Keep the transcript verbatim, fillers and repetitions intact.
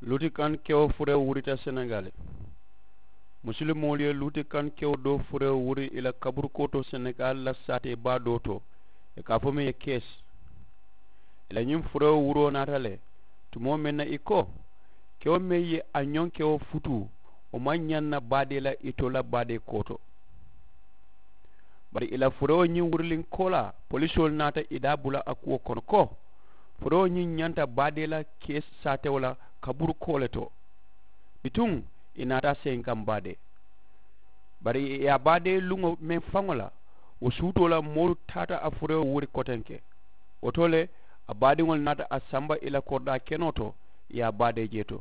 Luutikankewo furewo wurita senegaali. Musulimoolu ye luutikankewo doo furewo wuri i la kaburukoo to senegaali la saatee baa doo to, i ka a fo meŋ ye keesi. I la ñiŋ furewo wuroo naata le tumoo meŋ na i ko kewo meŋ ye a ñonkewo futuu, wo maŋ ñaŋ na baadee la itoo la baadee koo to. Bari i la furewo ñiŋ wuriliŋ koolaa polisoolu naata i daa bula a kuwo kono ko furewo ñiŋ ñanta baadee la kee saatewo la kaburu koo le to. Bituŋ i naata a seyiŋ kaŋ baadee. Bari i ye a baadee luŋo meŋ faŋo la wo suutoo la moolu taata a furewo wuri kotenke. Wo to le a baadiŋolu naata a samba i la koridaa kenoo to i ye a baadee jee to.